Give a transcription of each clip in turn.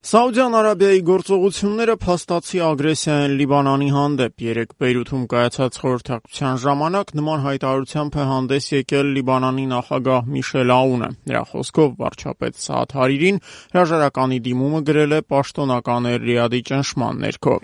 Սաուդյան Արաբիայի գործողությունները փաստացի ագրեսիա են Լիբանանի հանդեպ։ Երեկ Բեյրութում կայացած խորհրդակցության ժամանակ նման հայտարարությամբ է հանդես եկել Լիբանանի նախագահ Միշել Աունը։ Նրա խոսքով վարչապետ Սաադ Հարիրին հրաժարականի դիմումը գրել է պաշտոնական Ռիադի ճնշման ներքո։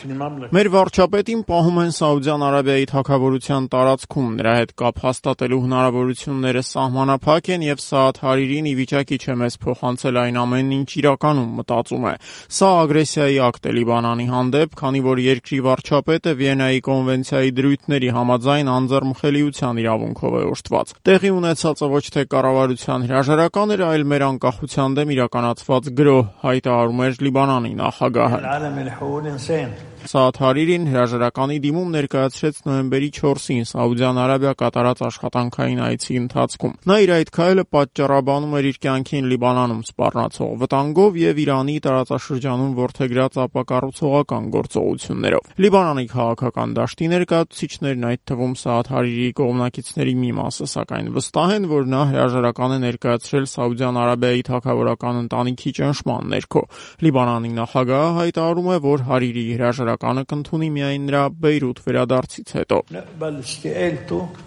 Մեր վարչապետին պահում են Սաուդյան Արաբիայի թագավորության տարածքում, նրա հետ կապ հաստատելու հնարավորությունները սահմանափակ են եւ Սաադ Հարիրին ի վիճակի չէ մեզ փոխանցել այն ամենն, ինչ իրականում մտածում է։ Սա ագրեսիայի ակտ է Լիբանանի հանդեպ, քանի որ երկրի վարչապետը Վիեննայի կոնվենցիայի դրույթների համաձայն անձեռնմխելիության իրավունքով է օժտված։ Տեղի ունեցածը ոչ թե կառավարության հրաժարական էր, այլ մեր անկախության դեմ իրականացված գրոհ, հայտարարում էր Լիբանանի նախագահը։ Սաադ Հարիրին հրաժարականի դիմում ներկայացրեց նոյեմբերի 4-ին Սաուդյան Արաբիա կատարած աշխատանքային այցի ընթացքում։ Նա իր այդ քայլը պատճառաբանում էր իր կյանքին Լիբանանում սպառնացող վտանգով եւ Իրանի տարածաշրջանում որդեգրած ապակառուցողական գործողություններով։ Լիբանանի քաղաքական դաշտի ներկայացուցիչներն, այդ թվում Սաադ Հարիրիի կողմնակիցների մի մասը, սակայն վստահ են, որ նա հրաժարական է ներկայացրել Սաուդյան Արաբիայի թագավորական ընտանիքի ճնշման ներքո։ Լիբանանի նախագահը հայտարարում է, որ Հարիրիի հրաժարականը կընդունի միայն նրա Բեյրութ վերադարձից հետո։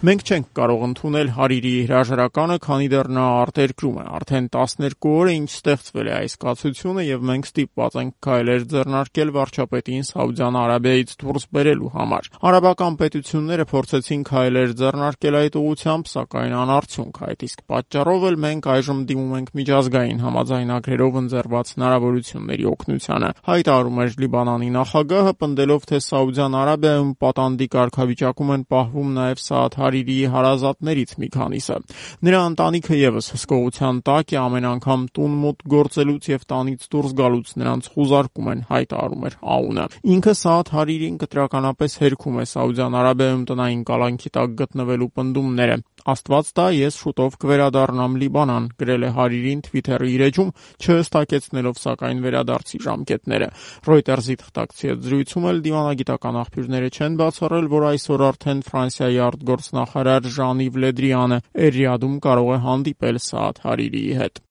Մենք չենք կարող ընդունել Հարիրիի հրաժարականը, քանի դեռ նա արտերկրում է։ Արդեն 12 օր է, ինչ ստեղծվել է այս կացությունը եւ մենք ստիպված ենք քայլեր ձեռնարկել վարչապետին Սաուդյան Արաբիայից դուրս բերելու համար։ Արաբական պետությունները փորձեցին քայլեր ձեռնարկել այդ ուղղությամբ, սակայն անարդյունք։ Այդ իսկ պատճառով էլ մենք այժմ դիմում ենք միջազգային համաձայնագրերով ընձեռված հնարավորությունների օգնությանը, հայտարարում էր Լիբանանի նախագահը, պնդելով, թե Սաուդյան Արաբիայում պատանդի կարգավիճակում են պահվում նաև Սաադ Հարիրիի հարազատներից մի քանիսը։ Նրա ընտանիքը եւս հսկողության տակ է, ամեն անգամ տուն մոտ գործելուց եւ տանից դուրս գալուց նրանց խուզարկում են, հայտարարում էր Աունը։ Ինքը Սաադ Հարիրին կտրականապես հերքում է Սաուդյան Արաբիայում տնային կալանքի տակ գտնվելու պնդումները։ Աստված տա, ես շուտով կվերադառնամ Լիբանան, գրել է Հարիրին Twitter-ի իր էջում, չհստակեցնելով սակայն վերադարձի ժամկետները։ Reuters-ի թղթակցի հետ զրույցում էլ դիվանագիտական աղբյուրները չեն բացառել, որ այսօր արդեն Ֆրանսիայի արտգործնախարար Ժան-Իվ Լե Դրիանը Ռիադում կարող է հանդիպել Սաադ Հարիրիի հետ։